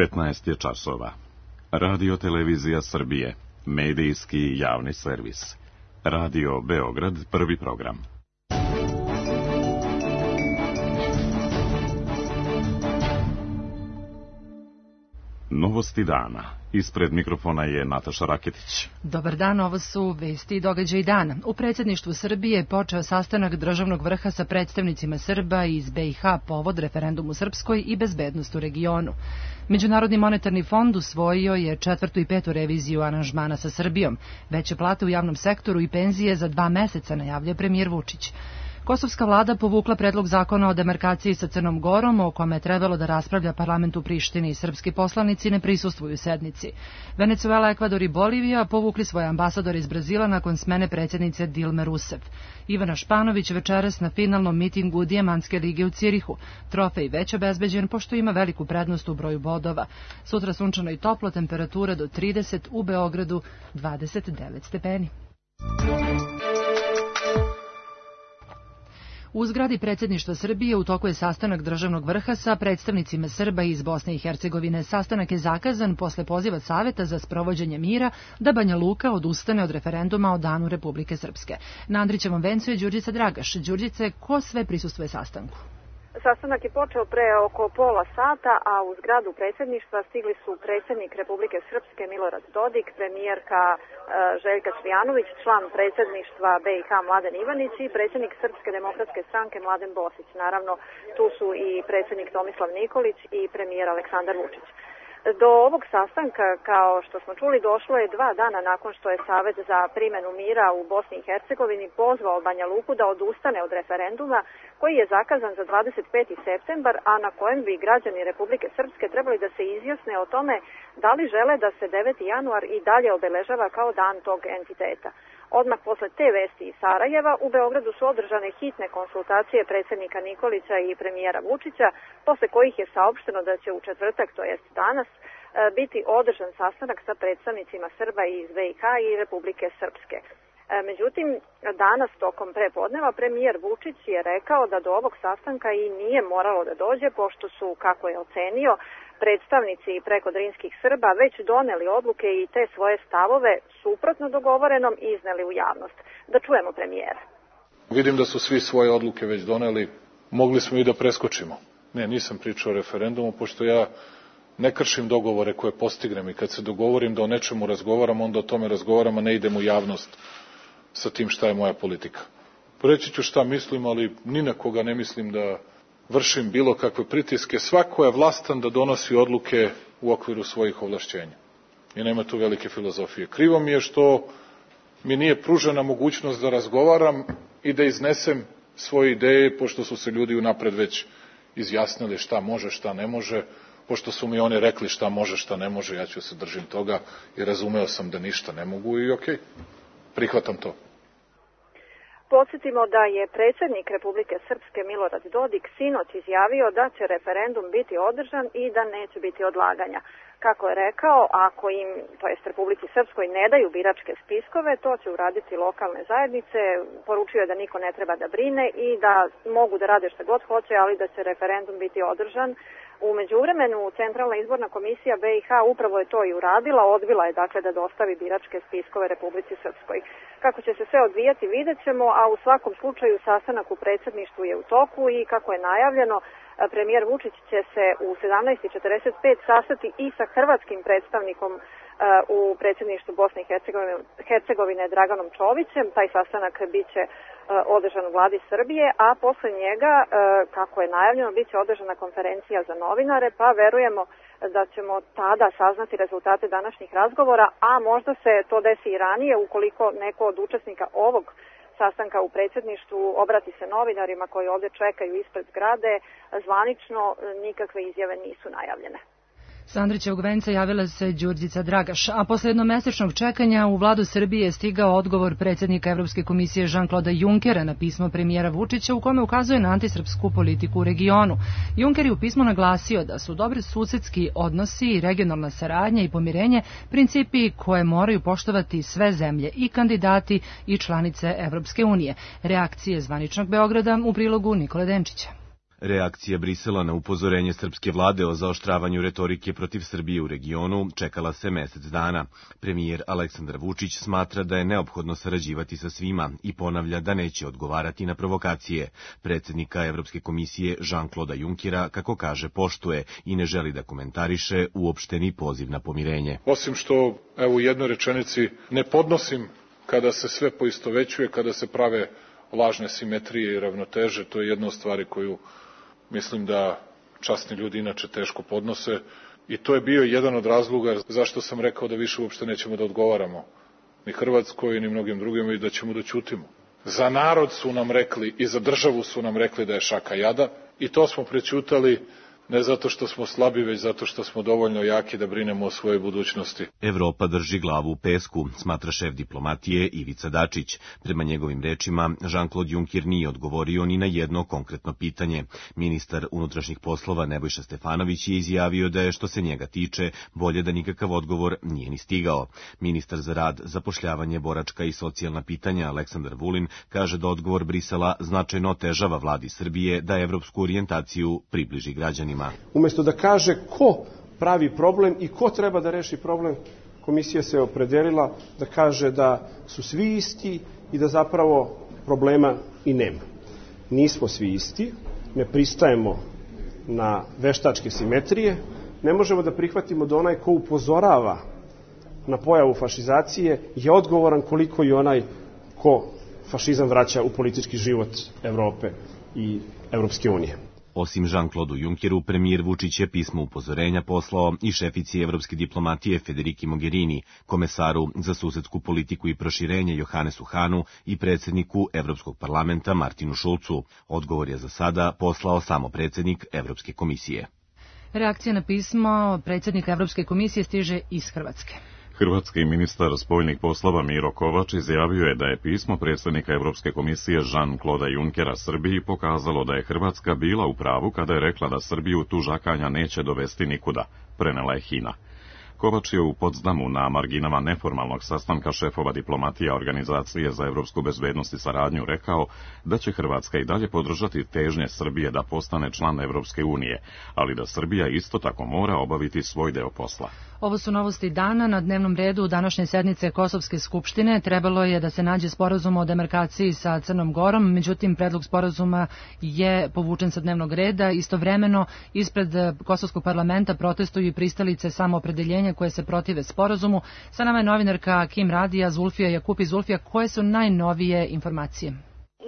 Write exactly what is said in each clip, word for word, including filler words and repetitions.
devetnaest je časova. Radio Televizija Srbije, medijski javni servis. Radio Beograd, prvi program. Novosti dana. Ispred mikrofona je Nataša Raketić. Dobar dan, ovo su vesti i događaji dana. U predsjedništvu Srbije je počeo sastanak državnog vrha sa predstavnicima Srba iz B i H povod referendum u Srpskoj i bezbednost u regionu. Međunarodni monetarni fond usvojio je četvrtu i petu reviziju aranžmana sa Srbijom. Veće plate u javnom sektoru i penzije za dva meseca, najavlja premijer Vučić. Kosovska vlada povukla predlog zakona o demarkaciji sa Crnom Gorom, o kome je trebalo da raspravlja parlament u Prištini i srpski poslanici ne prisustvuju sednici. Venecuela, Ekvador i Bolivija povukli svoje ambasadore iz Brazila nakon smene predsjednice Dilme Rousseff. Ivana Španović večeras na finalnom mitingu Dijamantske lige u Cirihu. Trofej već obezbeđen pošto ima veliku prednost u broju bodova. Sutra sunčano i toplo, temperatura do trideset, u Beogradu dvadeset devet stepeni. U zgradi predsjedništva Srbije u toku je sastanak državnog vrha sa predstavnicima Srba iz Bosne i Hercegovine. Sastanak je zakazan posle poziva Saveta za sprovođenje mira da Banja Luka odustane od referenduma o danu Republike Srpske. Na Andrićevom vencu je Đurđica Dragaš. Đurđice, ko sve prisustvuje sastanku? Sastanak je počeo pre oko pola sata, a u zgradu predsjedništva stigli su predsjednik Republike Srpske Milorad Dodik, premijerka e, Željka Cvijanović, član predsjedništva B i H Mladen Ivanić i predsjednik Srpske demokratske stranke Mladen Bosić. Naravno, tu su i predsjednik Tomislav Nikolić i premijer Aleksandar Vučić. Do ovog sastanka, kao što smo čuli, došlo je dva dana nakon što je Savet za primjenu mira u Bosni i Hercegovini pozvao Banja Luku da odustane od referenduma koji je zakazan za dvadeset peti septembar, a na kojem bi građani Republike Srpske trebali da se izjasne o tome da li žele da se deveti januar i dalje obeležava kao dan tog entiteta. Odmah posle te vesti iz Sarajeva u Beogradu su održane hitne konsultacije predsjednika Nikolića i premijera Vučića, posle kojih je saopšteno da će u četvrtak, to jest danas, biti održan sastanak sa predstavnicima Srba iz B i H i Republike Srpske. Međutim, danas tokom prepodneva premijer Vučić je rekao da do ovog sastanka i nije moralo da dođe, pošto su, kako je ocenio, predstavnici prekodrinskih Srba već doneli odluke i te svoje stavove suprotno dogovorenom izneli u javnost. Da čujemo premijera. Vidim da su svi svoje odluke već doneli, mogli smo i da preskočimo. Ne, nisam pričao o referendumu, pošto ja ne kršim dogovore koje postignem i kad se dogovorim da o nečemu razgovaram, onda o tome razgovaram, a ne idem u javnost sa tim šta je moja politika. Reći ću šta mislim, ali ni na koga ne mislim da vršim bilo kakve pritiske. Svako je vlastan da donosi odluke u okviru svojih ovlašćenja. I nema tu velike filozofije. Krivo mi je što mi nije pružena mogućnost da razgovaram i da iznesem svoje ideje, pošto su se ljudi unapred već izjasnili šta može, šta ne može. Pošto su mi oni rekli šta može, šta ne može, ja ću se držim toga i razumeo sam da ništa ne mogu i okej, prihvatam to. Podsjetimo da je predsjednik Republike Srpske Milorad Dodik sinoć izjavio da će referendum biti održan i da neće biti odlaganja. Kako je rekao, ako im, to jest Republici Srpskoj, ne daju biračke spiskove, to će uraditi lokalne zajednice. Poručio je da niko ne treba da brine i da mogu da rade šta god hoće, ali da će referendum biti održan. U međuvremenu, Centralna izborna komisija B i H upravo je to i uradila, odbila je dakle da dostavi biračke spiskove Republici Srpskoj. Kako će se sve odvijati vidjet ćemo, a u svakom slučaju sastanak u predsjedništvu je u toku i kako je najavljeno, premijer Vučić će se u sedamnaest i četrdeset pet sastati i sa hrvatskim predstavnikom u predsjedništvu Bosne i Hercegovine Draganom Čovićem. Taj sastanak bit će održan u vladi Srbije, a posle njega, kako je najavljeno, bit će održana konferencija za novinare, pa verujemo da ćemo tada saznati rezultate današnjih razgovora, a možda se to desi i ranije ukoliko neko od učesnika ovog sastanka u predsjedništvu obrati se novinarima koji ovdje čekaju ispred zgrade. Zvanično nikakve izjave nisu najavljene. Sa Andrićevog venca javila se Đurđica Dragaš, a posle jednomesečnog čekanja u vladu Srbije je stigao odgovor predsjednika Evropske komisije Jean-Claude Junckera na pismo premijera Vučića u kome ukazuje na antisrpsku politiku u regionu. Juncker je u pismu naglasio da su dobri susedski odnosi, regionalna saradnja i pomirenje principi koje moraju poštovati sve zemlje, i kandidati i članice Evropske unije. Reakcije zvaničnog Beograda u prilogu Nikole Denčića. Reakcija Brisela na upozorenje srpske vlade o zaoštravanju retorike protiv Srbije u regionu čekala se mesec dana. Premijer Aleksandar Vučić smatra da je neophodno sarađivati sa svima i ponavlja da neće odgovarati na provokacije. Predsjednika Evropske komisije Jean-Claude Junckera, kako kaže, poštuje i ne želi da komentariše uopšteni poziv na pomirenje. Osim što, evo u jednoj rečenici, ne podnosim kada se sve poistovećuje, kada se prave lažne simetrije i ravnoteže, to je jedna od stvari koju mislim da časni ljudi inače teško podnose i to je bio jedan od razloga zašto sam rekao da više uopšte nećemo da odgovaramo ni Hrvatskoj ni mnogim drugim i da ćemo da ćutimo. Za narod su nam rekli i za državu su nam rekli da je šaka jada i to smo prećutali ne zato što smo slabi, već zato što smo dovoljno jaki da brinemo o svojoj budućnosti. Evropa drži glavu u pesku, smatra šef diplomatije Ivica Dačić. Prema njegovim rečima, Jean-Claude Juncker nije odgovorio ni na jedno konkretno pitanje. Ministar unutrašnjih poslova Nebojša Stefanović je izjavio da je, što se njega tiče, bolje da nikakav odgovor nije ni stigao. Ministar za rad, zapošljavanje, boračka i socijalna pitanja Aleksandar Vulin kaže da odgovor Brisela značajno otežava vladi Srbije da evropsku orijentaciju približi građanima. Umjesto da kaže ko pravi problem i ko treba da reši problem, komisija se opredelila da kaže da su svi isti i da zapravo problema i nema. Nismo svi isti, ne pristajemo na veštačke simetrije, ne možemo da prihvatimo da onaj ko upozorava na pojavu fašizacije je odgovoran koliko i onaj ko fašizam vraća u politički život Evrope i Evropske unije. Osim Jean-Claude Junckeru, premijer Vučić je pismo upozorenja poslao i šefici evropske diplomatije Federiki Mogherini, komesaru za susedsku politiku i proširenje Johannesu Hahnu i predsjedniku Evropskog parlamenta Martinu Schulzu. Odgovor je za sada poslao samo predsjednik Evropske komisije. Reakcija na pismo predsjednika Evropske komisije stiže iz Hrvatske. Hrvatski ministar spoljnih poslova Miro Kovač izjavio je da je pismo predsjednika Evropske komisije Jean-Claude Junckera Srbiji pokazalo da je Hrvatska bila u pravu kada je rekla da Srbiju tužakanja neće dovesti nikuda, prenela je Hina. Kovač je u Potsdamu na marginama neformalnog sastanka šefova diplomatija Organizacije za evropsku bezbednost i saradnju rekao da će Hrvatska i dalje podržati težnje Srbije da postane član Evropske unije, ali da Srbija isto tako mora obaviti svoj deo posla. Ovo su novosti dana. Na dnevnom redu današnje sednice Kosovske skupštine trebalo je da se nađe sporazum o demarkaciji sa Crnom Gorom, međutim predlog sporazuma je povučen sa dnevnog reda. Istovremeno ispred Kosovskog parlamenta protestuju i pristalice samoopredeljenja koje se protive sporazumu. Sa nama je novinarka Kim Radija, Zulfija Jakupi. Zulfija, koje su najnovije informacije?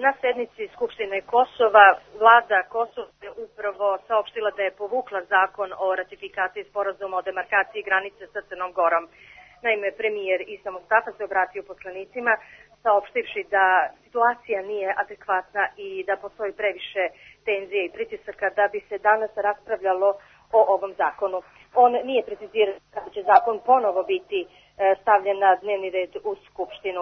Na sednici Skupštine Kosova vlada Kosova je upravo saopštila da je povukla zakon o ratifikaciji sporazuma o demarkaciji granice sa Crnom Gorom. Naime, premijer Isa Mustafa se obratio poslanicima saopštivši da situacija nije adekvatna i da postoji previše tenzije i pritisaka da bi se danas raspravljalo o ovom zakonu. On nije precizirao kada će zakon ponovo biti stavljen na dnevni red u Skupštinu.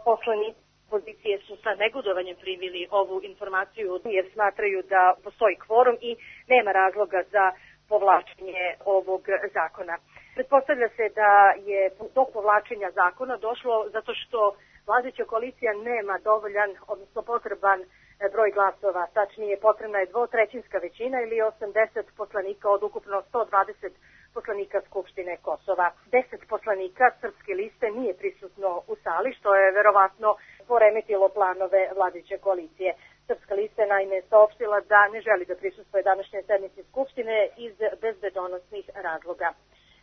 Poslanici opozicije su sa negodovanjem primili ovu informaciju jer smatraju da postoji kvorum i nema razloga za povlačenje ovog zakona. Pretpostavlja se da je do povlačenja zakona došlo zato što vladajuća koalicija nema dovoljan, odnosno potreban broj glasova. Tačnije, potrebna je dvotrećinska većina ili osamdeset poslanika od ukupno sto dvadeset poslanika Skupštine Kosova. deset poslanika Srpske liste nije prisutno u sali, što je verovatno poremetilo planove vladajuće koalicije. Srpska lista je naime saopštila da ne želi da prisustvuje današnje sednici Skupštine iz bezbedonosnih razloga.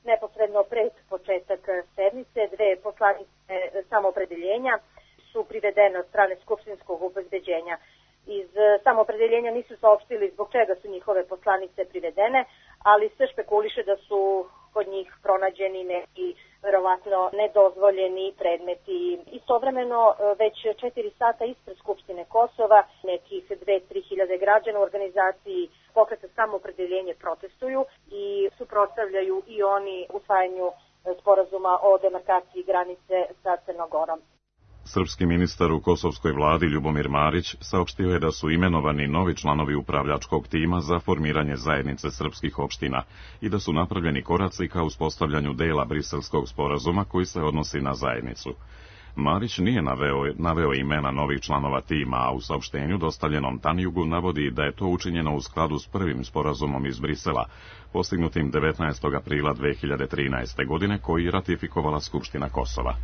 Neposredno pred početak sednice dve poslanice samoopredeljenja su privedene od strane skupštinskog obezbeđenja. Iz samoopredeljenja nisu saopštili zbog čega su njihove poslanice privedene, ali se špekuliše da su kod njih pronađeni neki verovatno nedozvoljeni predmeti. Istovremeno već četiri sata ispred Skupštine Kosova nekih dve do tri hiljade građana u organizaciji Pokreta samoopredeljenje protestuju i suprotstavljaju i oni usvajanju sporazuma o demarkaciji granice sa Crnogorom. Srpski ministar u kosovskoj vladi Ljubomir Marić saopštio je da su imenovani novi članovi upravljačkog tima za formiranje zajednice srpskih opština i da su napravljeni koraci ka uspostavljanju dela briselskog sporazuma koji se odnosi na zajednicu. Marić nije naveo, naveo imena novih članova tima, a u saopštenju dostavljenom Tanjugu navodi da je to učinjeno u skladu s prvim sporazumom iz Brisela, postignutim devetnaestog aprila dve hiljade trinaeste. godine, koji je ratifikovala Skupština Kosova.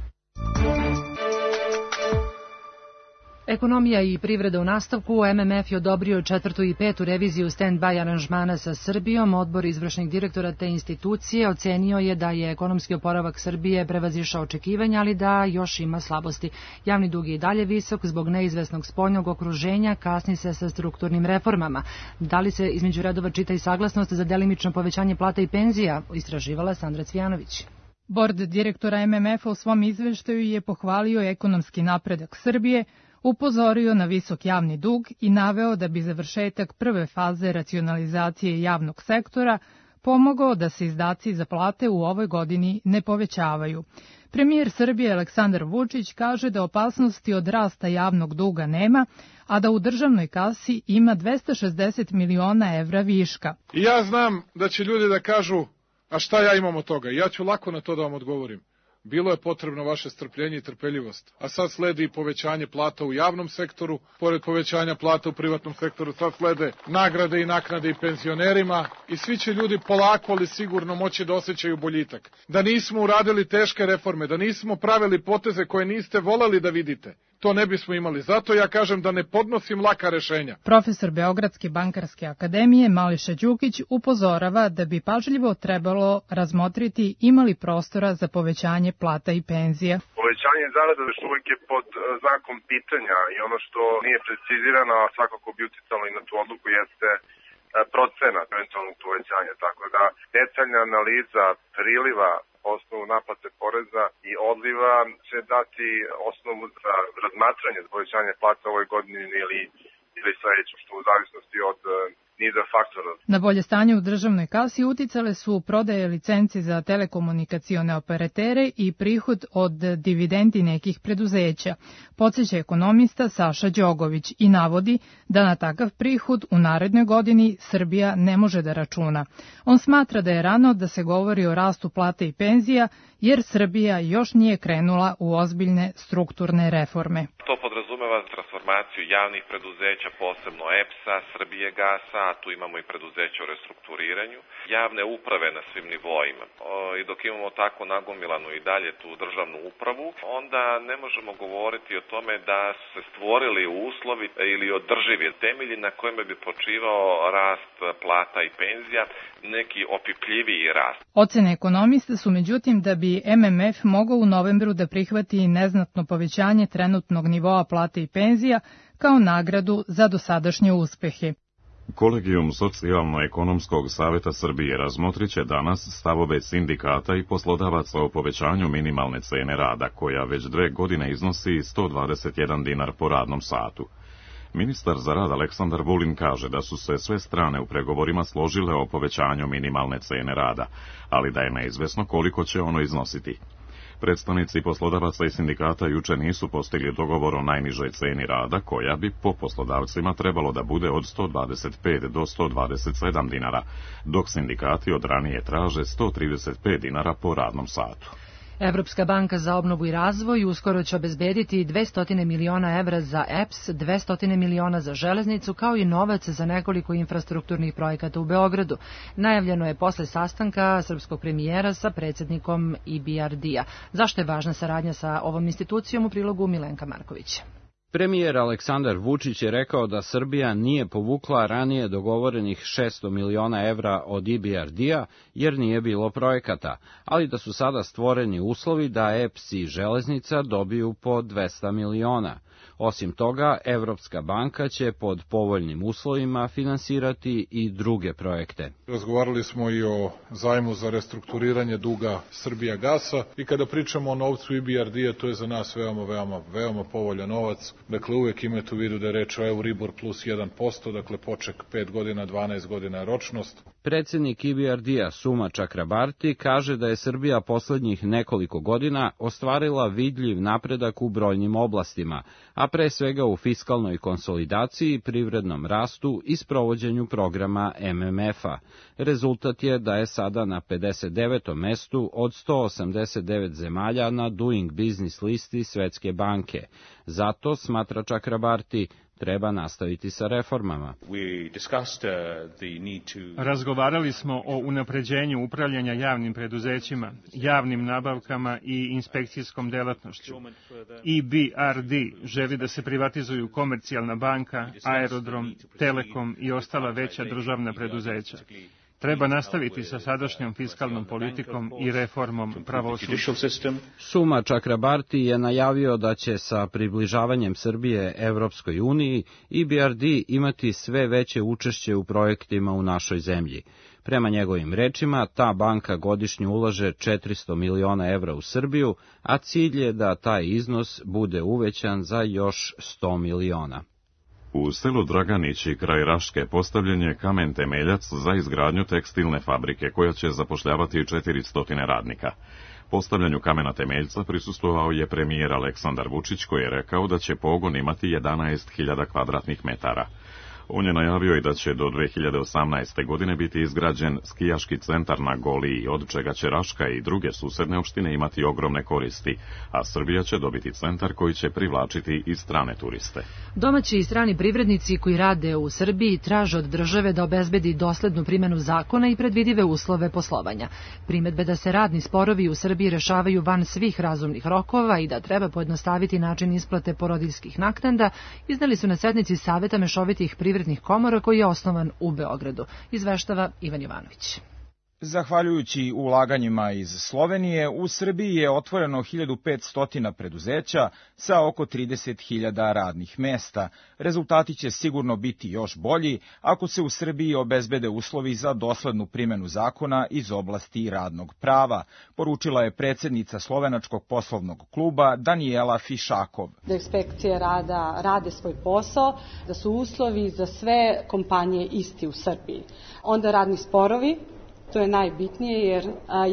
Ekonomija i privreda u nastavku. M M F je odobrio četvrtu i petu reviziju stand-by aranžmana sa Srbijom. Odbor izvršnih direktora te institucije ocenio je da je ekonomski oporavak Srbije prevazišao očekivanja, ali da još ima slabosti. Javni dug je i dalje visok zbog neizvesnog spoljnog okruženja, kasni se sa strukturnim reformama. Da li se između redova čita i saglasnost za delimično povećanje plata i penzija? Istraživala Sandra Cvijanović. Bord direktora M M F-a u svom izveštaju je pohvalio ekonomski napredak Srbije, upozorio na visok javni dug i naveo da bi završetak prve faze racionalizacije javnog sektora pomogao da se izdaci za plate u ovoj godini ne povećavaju. Premijer Srbije Aleksandar Vučić kaže da opasnosti od rasta javnog duga nema, a da u državnoj kasi ima dvesta šezdeset miliona evra viška. I ja znam da će ljudi da kažu, a šta ja imam od toga? Ja ću lako na to da vam odgovorim. Bilo je potrebno vaše strpljenje i trpeljivost, a sad sledi i povećanje plata u javnom sektoru, pored povećanja plata u privatnom sektoru sad slede nagrade i naknade i penzionerima i svi će ljudi polako ali sigurno moći da osjećaju boljitak. Da nismo uradili teške reforme, da nismo pravili poteze koje niste voleli da vidite, to ne bismo imali. Zato ja kažem da ne podnosim laka rešenja. Profesor Beogradske bankarske akademije Mališa Đukić upozorava da bi pažljivo trebalo razmotriti imali prostora za povećanje plata i penzija. Povećanje zarada još uvijek je pod znakom pitanja i ono što nije precizirano, a svakako bi uticalo i na tu odluku, jeste procenat eventualnog povećanja. Tako da detaljna analiza priliva po osnovu naplate poreza i odliva će dati osnovu za razmatranje za povećanje plata u ovoj godini ili, ili sledećem, što u zavisnosti od niza faktora. Na bolje stanje u državnoj kasi uticale su prodaje licenci za telekomunikacione operatere i prihod od dividendi nekih preduzeća, podsjeća ekonomista Saša Đogović i navodi da na takav prihod u narednoj godini Srbija ne može da računa. On smatra da je rano da se govori o rastu plata i penzija, jer Srbija još nije krenula u ozbiljne strukturne reforme. To podrazumeva transformaciju javnih preduzeća, posebno E P S-a, Srbije gasa, a tu imamo i preduzeće o restrukturiranju, javne uprave na svim nivoima. I dok imamo tako nagomilanu i dalje tu državnu upravu, onda ne možemo govoriti o tome da su se stvorili uslovi ili održivi temelji na kojima bi počivao rast plata i penzija, neki opipljiviji rast. Ocene ekonomista su međutim da bi M M F mogao u novembru da prihvati neznatno povećanje trenutnog nivoa plate i penzija kao nagradu za dosadašnje uspehe. Kolegijum Socijalno-ekonomskog saveta Srbije razmotrit će danas stavove sindikata i poslodavaca o povećanju minimalne cene rada, koja već dve godine iznosi sto dvadeset jedan dinar po radnom satu. Ministar za rad Aleksandar Vulin kaže da su se sve strane u pregovorima složile o povećanju minimalne cene rada, ali da je neizvesno koliko će ono iznositi. Predstavnici poslodavaca i sindikata juče nisu postigli dogovor o najnižoj ceni rada, koja bi po poslodavcima trebalo da bude od sto dvadeset pet do sto dvadeset sedam dinara, dok sindikati od ranije traže sto trideset pet dinara po radnom satu. Evropska banka za obnovu i razvoj uskoro će obezbediti dvesta miliona evra za E P S, dvesta miliona za železnicu, kao i novac za nekoliko infrastrukturnih projekata u Beogradu. Najavljeno je posle sastanka srpskog premijera sa predsjednikom E B R D-a. Zašto je važna saradnja sa ovom institucijom, u prilogu Milenka Marković? Premijer Aleksandar Vučić je rekao da Srbija nije povukla ranije dogovorenih šesto miliona evra od E B R D-a jer nije bilo projekata, ali da su sada stvoreni uslovi da E P S i železnica dobiju po dvesta miliona. Osim toga, Evropska banka će pod povoljnim uslovima finansirati i druge projekte. Razgovarali smo i o zajmu za restrukturiranje duga Srbija gasa i kada pričamo o novcu E B R D-a, to je za nas veoma, veoma, veoma povoljan novac. Dakle, uvek imate u vidu da je reč o Euribor plus jedan posto, dakle poček pet godina, dvanaest godina ročnost. Predsjednik I B R D-a Suma Čakrabarti kaže da je Srbija poslednjih nekoliko godina ostvarila vidljiv napredak u brojnim oblastima, a pre svega u fiskalnoj konsolidaciji, privrednom rastu i sprovođenju programa M M F-a. Rezultat je da je sada na pedeset devetom mestu od sto osamdeset devet zemalja na Doing Business listi Svetske banke. Zato, smatra Čakrabarti, treba nastaviti sa reformama. Razgovarali smo o unapređenju upravljanja javnim preduzećima, javnim nabavkama i inspekcijskom delatnošću. I B R D želi da se privatizuju Komercijalna banka, Aerodrom, Telekom i ostala veća državna preduzeća. Treba nastaviti sa sadašnjom fiskalnom politikom i reformom pravosuđa. Suma Čakrabarti je najavio da će sa približavanjem Srbije Evropskoj uniji I B R D imati sve veće učešće u projektima u našoj zemlji. Prema njegovim rečima, ta banka godišnje ulaže četiristo miliona evra u Srbiju, a cilj je da taj iznos bude uvećan za još sto miliona. U selu Draganići kraj Raške postavljen je kamen temeljac za izgradnju tekstilne fabrike koja će zapošljavati četiristo radnika. Postavljanju kamena temeljca prisustvovao je premijer Aleksandar Vučić koji je rekao da će pogon imati jedanaest hiljada kvadratnih metara. On je najavio i da će do dve hiljade osamnaeste. godine biti izgrađen skijaški centar na Goliji, od čega će Raška i druge susedne opštine imati ogromne koristi, a Srbija će dobiti centar koji će privlačiti i strane turiste. Domaći i strani privrednici koji rade u Srbiji traže od države da obezbedi doslednu primjenu zakona i predvidive uslove poslovanja. Primedbe da se radni sporovi u Srbiji rešavaju van svih razumnih rokova i da treba pojednostaviti način isplate porodiljskih naknada izneli su na sednici Saveta mešovitih privrednika privrednih komora koji je osnovan u Beogradu. Izveštava Ivan Jovanović. Zahvaljujući ulaganjima iz Slovenije, u Srbiji je otvoreno hiljadu petsto preduzeća sa oko trideset hiljada radnih mesta. Rezultati će sigurno biti još bolji ako se u Srbiji obezbede uslovi za doslednu primjenu zakona iz oblasti radnog prava, poručila je predsjednica Slovenačkog poslovnog kluba Danijela Fišakov. Da inspekcije rada rade svoj posao, da su uslovi za sve kompanije isti u Srbiji. Onda radni sporovi, to je najbitnije jer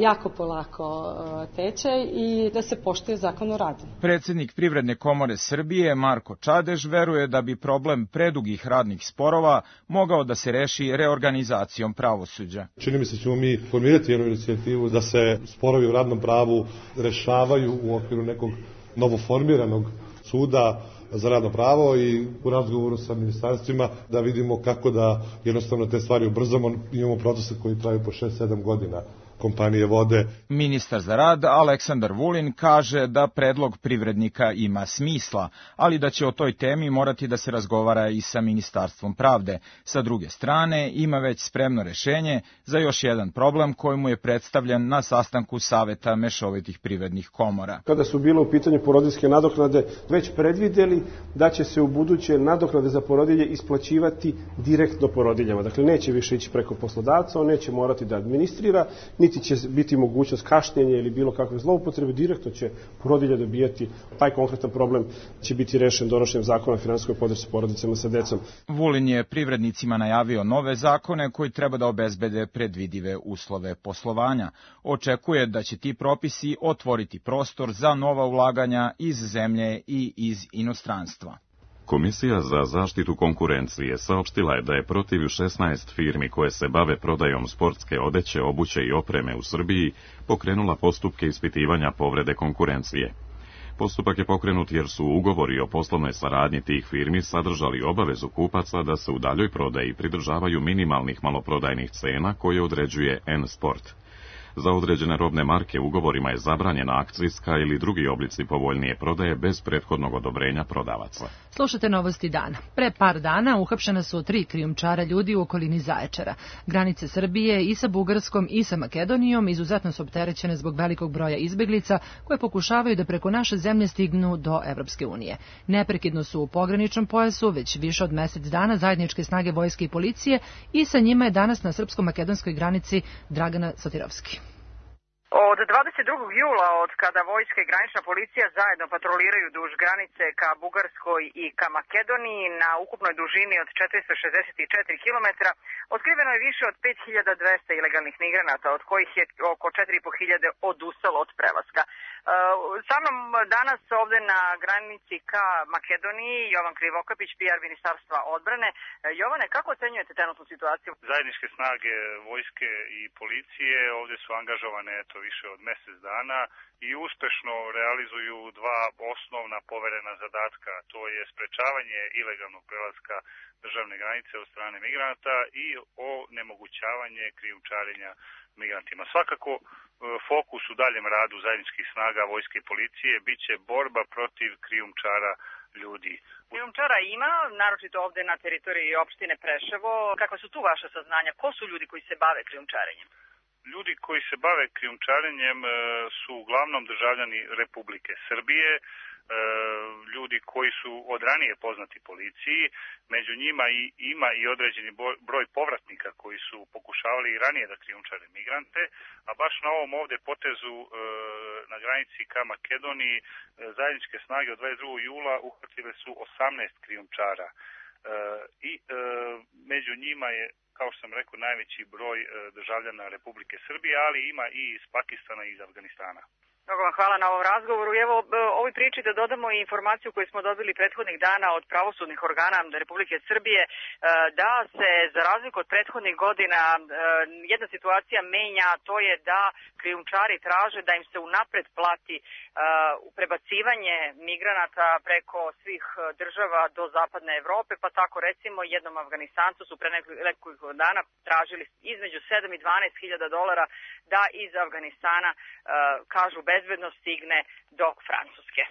jako polako teče i da se poštuje zakon o radu. Predsjednik Privredne komore Srbije Marko Čadež veruje da bi problem predugih radnih sporova mogao da se reši reorganizacijom pravosuđa. Čini mi se ćemo mi formirati jednu inicijativu da se sporovi u radnom pravu rešavaju u okviru nekog novoformiranog suda za radno pravo i u razgovoru sa ministarstvima da vidimo kako da jednostavno te stvari ubrzamo. Imamo procese koji traju po šest sedam godina. Kompanije vode. Ministar za rad Aleksandar Vulin kaže da predlog privrednika ima smisla, ali da će o toj temi morati da se razgovara i sa Ministarstvom pravde. Sa druge strane, ima već spremno rešenje za još jedan problem koji mu je predstavljen na sastanku Saveta mešovitih privrednih komora. Kada su bile u pitanju porodiljske nadoknade, već predvideli da će se u buduće nadoknade za porodilje isplaćivati direktno porodiljama. Dakle, neće više ići preko poslodavca, on neće morati da administrira, niti će biti mogućnost kašnjenja ili bilo kakve zloupotrebe, direktno će porodilja dobijati. Taj konkretan problem će biti rešen donošenjem zakona o finansijskoj podršci porodicama sa decom. Vulin je privrednicima najavio nove zakone koji treba da obezbede predvidive uslove poslovanja. Očekuje da će ti propisi otvoriti prostor za nova ulaganja iz zemlje i iz inostranstva. Komisija za zaštitu konkurencije saopštila je da je protiv šesnaest firmi koje se bave prodajom sportske odeće, obuće i opreme u Srbiji pokrenula postupke ispitivanja povrede konkurencije. Postupak je pokrenut jer su ugovori o poslovnoj saradnji tih firmi sadržali obavezu kupaca da se u daljoj prodaji pridržavaju minimalnih maloprodajnih cena koje određuje N-Sport. Za određene robne marke ugovorima je zabranjena akcijska ili drugi oblici povoljnije prodaje bez prethodnog odobrenja prodavaca. Slušate novosti dana. Pre par dana uhapšena su tri krijumčara ljudi u okolini Zaječara. Granice Srbije i sa Bugarskom i sa Makedonijom izuzetno su opterećene zbog velikog broja izbeglica koje pokušavaju da preko naše zemlje stignu do Evropske unije. Neprekidno su u pograničnom pojasu već više od mesec dana zajedničke snage vojske i policije i sa njima je danas na srpsko-makedonskoj granici Dragana Sotirovski. Od dvadeset drugog jula, od kada vojska i granična policija zajedno patroliraju duž granice ka Bugarskoj i ka Makedoniji na ukupnoj dužini od četiristo šezdeset četiri kilometra, otkriveno je više od pet hiljada dvesta ilegalnih migranata, od kojih je oko četiri i po hiljade odustalo od prelaska. Sa mnom danas ovde na granici ka Makedoniji Jovan Krivokapić, P R Ministarstva odbrane. Jovane, kako ocenjujete trenutnu situaciju? Zajedničke snage vojske i policije ovde su angažovane eto više od mesec dana i uspešno realizuju dva osnovna poverena zadatka, to je sprečavanje ilegalnog prelaska državne granice od strane migranata i onemogućavanje krijumčarenja migrantima. Svakako fokus u daljem radu zajedničkih snaga vojske i policije biće borba protiv krijumčara ljudi. Krijumčara ima, naročito ovde na teritoriji opštine Preševo. Kakva su tu vaše saznanja? Ko su ljudi koji se bave krijumčarenjem? Ljudi koji se bave krijumčarenjem su uglavnom državljani Republike Srbije, ljudi koji su od ranije poznati policiji, među njima i ima i određeni broj povratnika koji su pokušavali i ranije da krijumčare migrante, a baš na ovom ovde potezu na granici ka Makedoniji zajedničke snage od dvadeset drugog jula uhvatile su osamnaest krijumčara i među njima je, kao što sam rekao, najveći broj državljana Republike Srbije, ali ima i iz Pakistana i iz Afganistana. Mnogo vam hvala na ovom razgovoru. Evo, ovoj priči da dodamo i informaciju koju smo dobili prethodnih dana od pravosudnih organa Republike Srbije, da se, za razliku od prethodnih godina, jedna situacija menja, to je da krijumčari traže da im se unapred plati prebacivanje migranata preko svih država do zapadne Evrope, pa tako recimo jednom Afganistancu su pre nekoliko dana tražili između sedam i dvanaest hiljada dolara da iz Afganistana, kažu, bezbedno stigne do Francuske.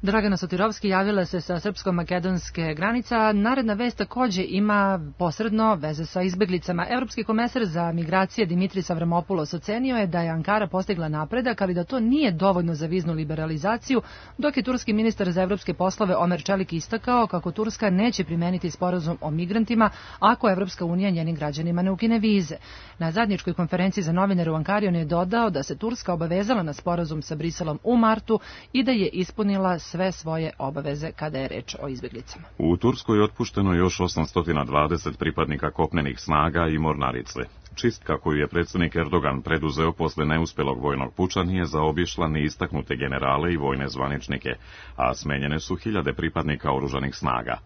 Dragana Sotirovski javila se sa srpsko-makedonske granice, a naredna vest takođe ima posredno veze sa izbeglicama. Evropski komesar za migracije Dimitris Avramopoulos ocenio je da je Ankara postigla napredak, ali da to nije dovoljno za viznu liberalizaciju, dok je turski ministar za evropske poslove Omer Čelik istakao kako Turska neće primeniti sporazum o migrantima ako Evropska unija njenim građanima ne ukine vize. Na zajedničkoj konferenciji za novinare u Ankari on je dodao da se Turska obavezala na sporazum sa Briselom u martu i da je ispunila sve svoje obaveze kada je reč o izbjeglicama. U Turskoj je otpušteno još osamsto dvadeset pripadnika kopnenih snaga i mornarice. Čistka koju je predsjednik Erdogan preduzeo posle neuspelog vojnog puča nije zaobišla ni istaknute generale i vojne zvaničnike, a smenjene su hiljade pripadnika oružanih snaga.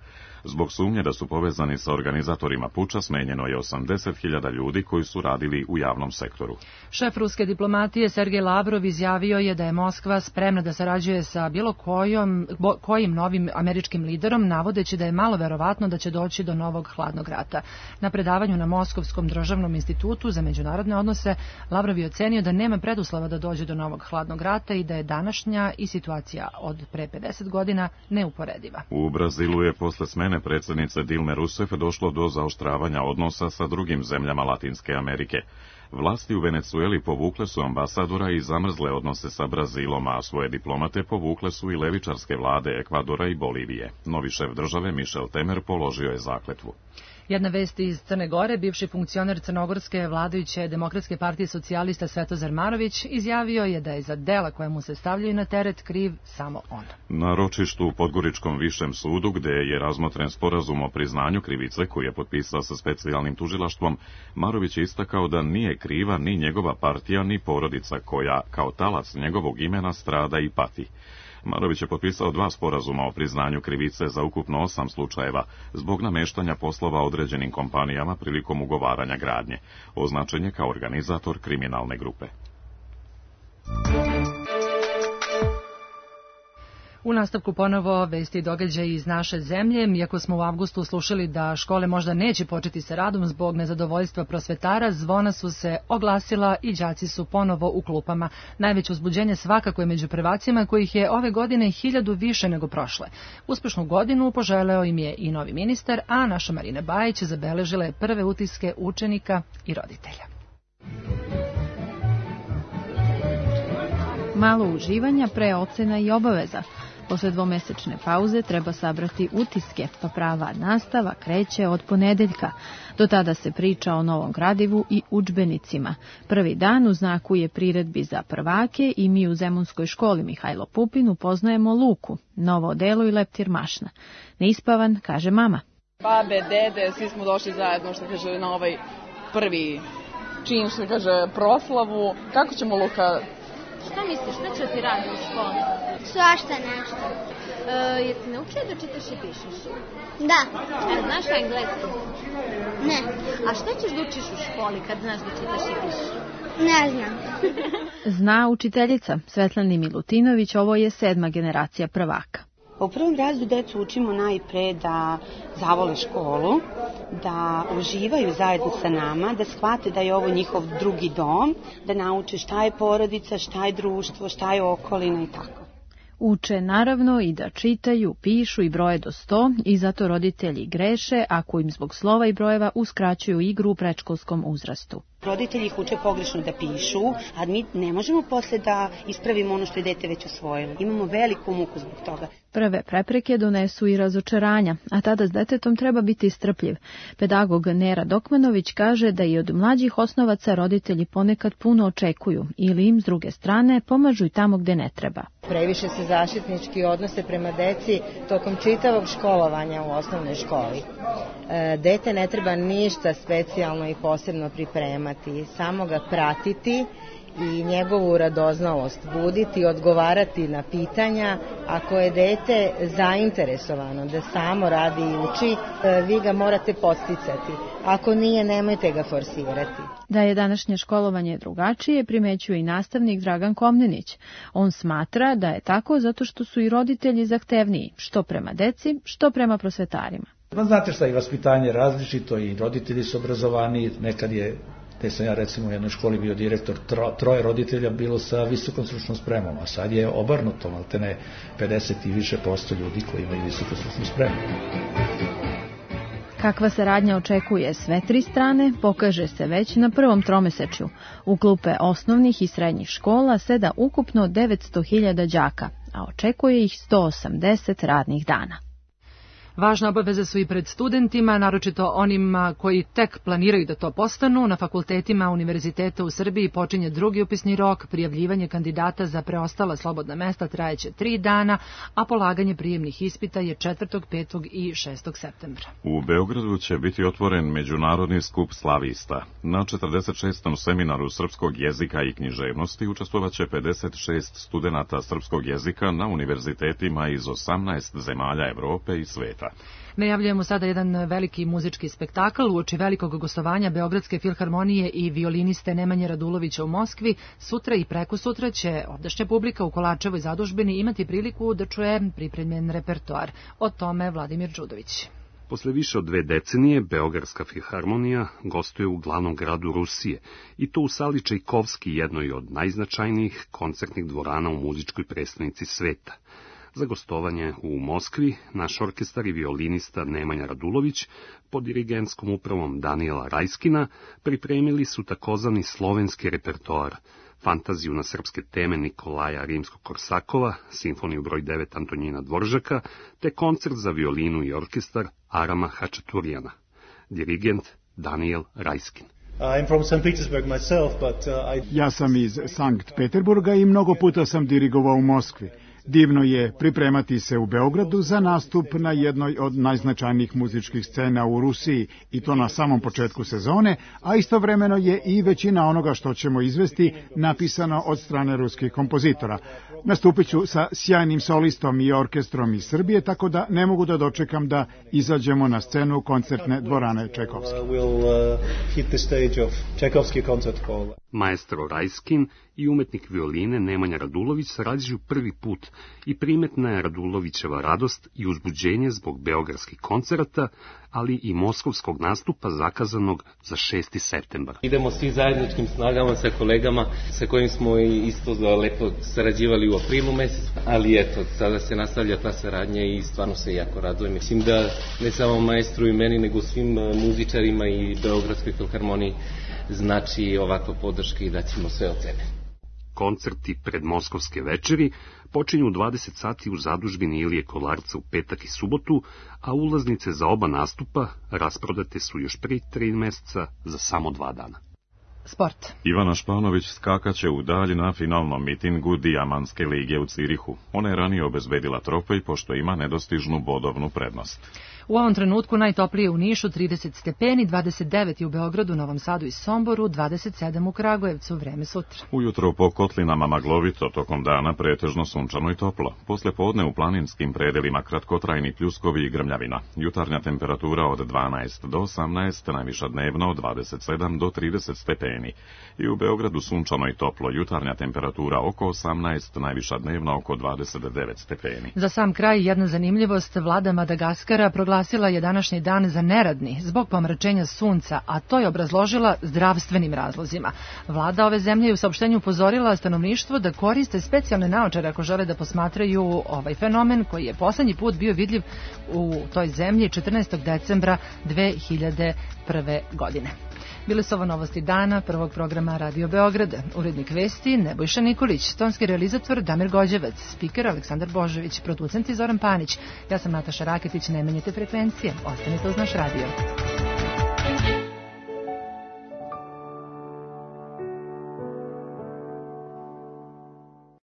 Zbog sumnje da su povezani sa organizatorima puča, smenjeno je osamdeset hiljada ljudi koji su radili u javnom sektoru. Šef ruske diplomatije Sergej Lavrov izjavio je da je Moskva spremna da sarađuje sa bilo kojom, bo, kojim novim američkim liderom, navodeći da je malo verovatno da će doći do novog hladnog rata. Na predavanju na Moskovskom državnom institutu za međunarodne odnose Lavrov je ocenio da nema preduslova da dođe do novog hladnog rata i da je današnja i situacija od pre pedeset godina neuporediva. U Brazilu je posle smene predsjednice Dilme Rousseff došlo do zaoštravanja odnosa sa drugim zemljama Latinske Amerike. Vlasti u Venecueli povukle su ambasadora i zamrzle odnose sa Brazilom, a svoje diplomate povukle su i levičarske vlade Ekvadora i Bolivije. Novi šef države Michel Temer položio je zakletvu. Jedna vest iz Crne Gore, bivši funkcioner crnogorske vladajuće Demokratske partije socijalista Svetozar Marović izjavio je da je za dela koja mu se stavljaju na teret kriv samo on. Na ročištu u Podgoričkom višem sudu, gde je razmotren sporazum o priznanju krivice koji je potpisao sa specijalnim tužilaštvom, Marović je istakao da nije kriva ni njegova partija ni porodica koja, kao talac njegovog imena, strada i pati. Marović je potpisao dva sporazuma o priznanju krivice za ukupno osam slučajeva zbog nameštanja poslova određenim kompanijama prilikom ugovaranja gradnje. Označen je kao organizator kriminalne grupe. U nastavku ponovo vesti i događaji iz naše zemlje. Iako smo u avgustu slušali da škole možda neće početi sa radom zbog nezadovoljstva prosvetara, zvona su se oglasila i đaci su ponovo u klupama. Najveće uzbuđenje svakako je među prvacima, kojih je ove godine hiljadu više nego prošle. Uspešnu godinu poželeo im je i novi ministar, a naša Marina Bajić zabeležila je prve utiske učenika i roditelja. Malo uživanja pre ocena i obaveza. Posle dvomesečne pauze treba sabrati utiske, pa prava nastava kreće od ponedeljka. Do tada se priča o novom gradivu i udžbenicima. Prvi dan u znaku je priredbi za prvake i mi u Zemunskoj školi Mihajlo Pupin upoznajemo Luku, novo odelo i leptir mašna. Neispavan, kaže mama. Babe, dede, svi smo došli zajedno, što kaže, na ovaj prvi čin, što kaže, proslavu. Kako ćemo, Luka? Šta misliš, šta će ti radi u školi? Svašta nešto. E, je ti naučio da čitaš i pišeš? Da. E, znaš engleski? Ne. A šta ćeš da učiš u školi kad znaš da čitaš i pišeš? Ne znam. Zna učiteljica Svetlana Milutinović, ovo je sedma generacija prvaka. U prvom razredu decu učimo najpre da zavole školu, da uživaju zajedno sa nama, da shvate da je ovo njihov drugi dom, da nauče šta je porodica, šta je društvo, šta je okolina i tako. Uče naravno i da čitaju, pišu i broje do sto i zato roditelji greše ako im zbog slova i brojeva uskraćuju igru u predškolskom uzrastu. Roditelji ih uče pogrešno da pišu, a mi ne možemo posle da ispravimo ono što je dete već osvojilo. Imamo veliku muku zbog toga. Prve prepreke donesu i razočaranja, a tada s detetom treba biti strpljiv. Pedagog Nera Dokmanović kaže da i od mlađih osnovaca roditelji ponekad puno očekuju ili im s druge strane pomažu i tamo gde ne treba. Previše se zaštitnički odnose prema deci tokom čitavog školovanja u osnovnoj školi. E, dete ne treba ništa specijalno i posebno pripremati, samo ga pratiti i njegovu radoznalost buditi, odgovarati na pitanja. Ako je dete zainteresovano da samo radi i uči, vi ga morate podsticati. Ako nije, nemojte ga forsirati. Da je današnje školovanje drugačije, primećuje i nastavnik Dragan Komnenić. On smatra da je tako zato što su i roditelji zahtevniji, što prema deci, što prema prosvetarima. Pa znate šta, i vaspitanje je različito i roditelji su obrazovaniji, nekad je, te sam ja recimo u jednoj školi bio direktor, tro, troje roditelja bilo sa visokom stručnom spremom, a sad je obrnuto, maltene pedeset i više posto ljudi koji imaju visoku stručnu spremu. Kakva saradnja očekuje sve tri strane, pokaže se već na prvom tromesečju. U klupe osnovnih i srednjih škola seda ukupno devetsto hiljada đaka, a očekuje ih sto osamdeset radnih dana. Važne obaveze su i pred studentima, naročito onima koji tek planiraju da to postanu. Na fakultetima univerziteta u Srbiji počinje drugi upisni rok, prijavljivanje kandidata za preostala slobodna mesta trajeće tri dana, a polaganje prijemnih ispita je četvrtog, petog i šestog septembra. U Beogradu će biti otvoren Međunarodni skup slavista. Na četrdeset šestom seminaru srpskog jezika i književnosti učestvovaće pedeset šest studenata srpskog jezika na univerzitetima iz osamnaest zemalja Evrope i sveta. Najavljujemo sada jedan veliki muzički spektakl uoči velikog gostovanja Beogradske filharmonije i violiniste Nemanje Radulovića u Moskvi. Sutra i prekosutra će ovdašnja publika u Kolačevoj zadužbini imati priliku da čuje pripremljen repertoar. O tome Vladimir Đudović. Posle više od dve decenije, Beogradska filharmonija gostuje u glavnom gradu Rusije, i to u sali Čajkovski, jednoj od najznačajnijih koncertnih dvorana u muzičkoj prestonici sveta. Za gostovanje u Moskvi naš orkestar i violinista Nemanja Radulović pod dirigentskom upravom Danijela Rajskina pripremili su takozvani slovenski repertoar, fantaziju na srpske teme Nikolaja Rimskog-Korsakova, simfoniju broj devet Antonjina Dvoržaka, te koncert za violinu i orkestar Arama Hačaturijana. Dirigent Danijel Rajskin. I'm from Saint Petersburg myself, but, uh, I... Ja sam iz Sankt Peterburga i mnogo puta sam dirigovao u Moskvi. Divno je pripremati se u Beogradu za nastup na jednoj od najznačajnijih muzičkih scena u Rusiji, i to na samom početku sezone, a istovremeno je i većina onoga što ćemo izvesti napisano od strane ruskih kompozitora. Nastupit ću sa sjajnim solistom i orkestrom iz Srbije, tako da ne mogu da dočekam da izađemo na scenu koncertne dvorane Čajkovski. Maestro Rajskin i umetnik violine Nemanja Radulović sarađuju prvi put i primetna je Radulovićeva radost i uzbuđenje zbog beogradskih koncerata, ali i moskovskog nastupa zakazanog za šesti septembar. Idemo svi zajedničkim snagama sa kolegama sa kojim smo isto lepo sarađivali u aprilu mesecu, ali eto, sada se nastavlja ta saradnja i stvarno se jako radujem. Mislim da ne samo maestru i meni, nego svim muzičarima i Beogradskoj filharmoniji znači ovakva podrška i da ćemo sve od sebe. Koncerti predmoskovske večeri počinju u dvadeset sati u zadužbini Ilije Kolarca u petak i subotu, a ulaznice za oba nastupa rasprodate su još prije tri meseca za samo dva dana. Sport. Ivana Španović skakaće u dalj na finalnom mitingu Dijamanske lige u Cirihu. Ona je ranije obezbedila trofej pošto ima nedostižnu bodovnu prednost. U ovom trenutku najtoplije u Nišu trideset stepeni, dvadeset devet u Beogradu, Novom Sadu i Somboru, dvadeset sedam u Kragujevcu, vreme sutra. Ujutro po kotlinama maglovito, tokom dana pretežno sunčano i toplo. Posle podne u planinskim predelima kratkotrajni pljuskovi i grmljavina. Jutarnja temperatura od dvanaest do osamnaest, najviša dnevno od dvadeset sedam do trideset stepeni. I u Beogradu sunčano i toplo, jutarnja temperatura oko osamnaest, najviša dnevno oko dvadeset devet stepeni. Za sam kraj jedna zanimljivost, vlada Madagaskara proglasila je današnji dan za neradni zbog pomračenja sunca, a to je obrazložila zdravstvenim razlozima. Vlada ove zemlje je u saopštenju upozorila stanovništvo da koriste specijalne naočare ako žele da posmatraju ovaj fenomen koji je poslednji put bio vidljiv u toj zemlji četrnaestog decembra dve hiljade prve. godine. Bile su ovo novosti dana prvog programa Radio Beograda. Urednik vesti Nebojša Nikolić, tonski realizator Damir Gođevac, spiker Aleksandar Božović, producent Zoran Panić. Ja sam Nataša Raketić, ne menjate frekvencije, ostanite uz naš radio.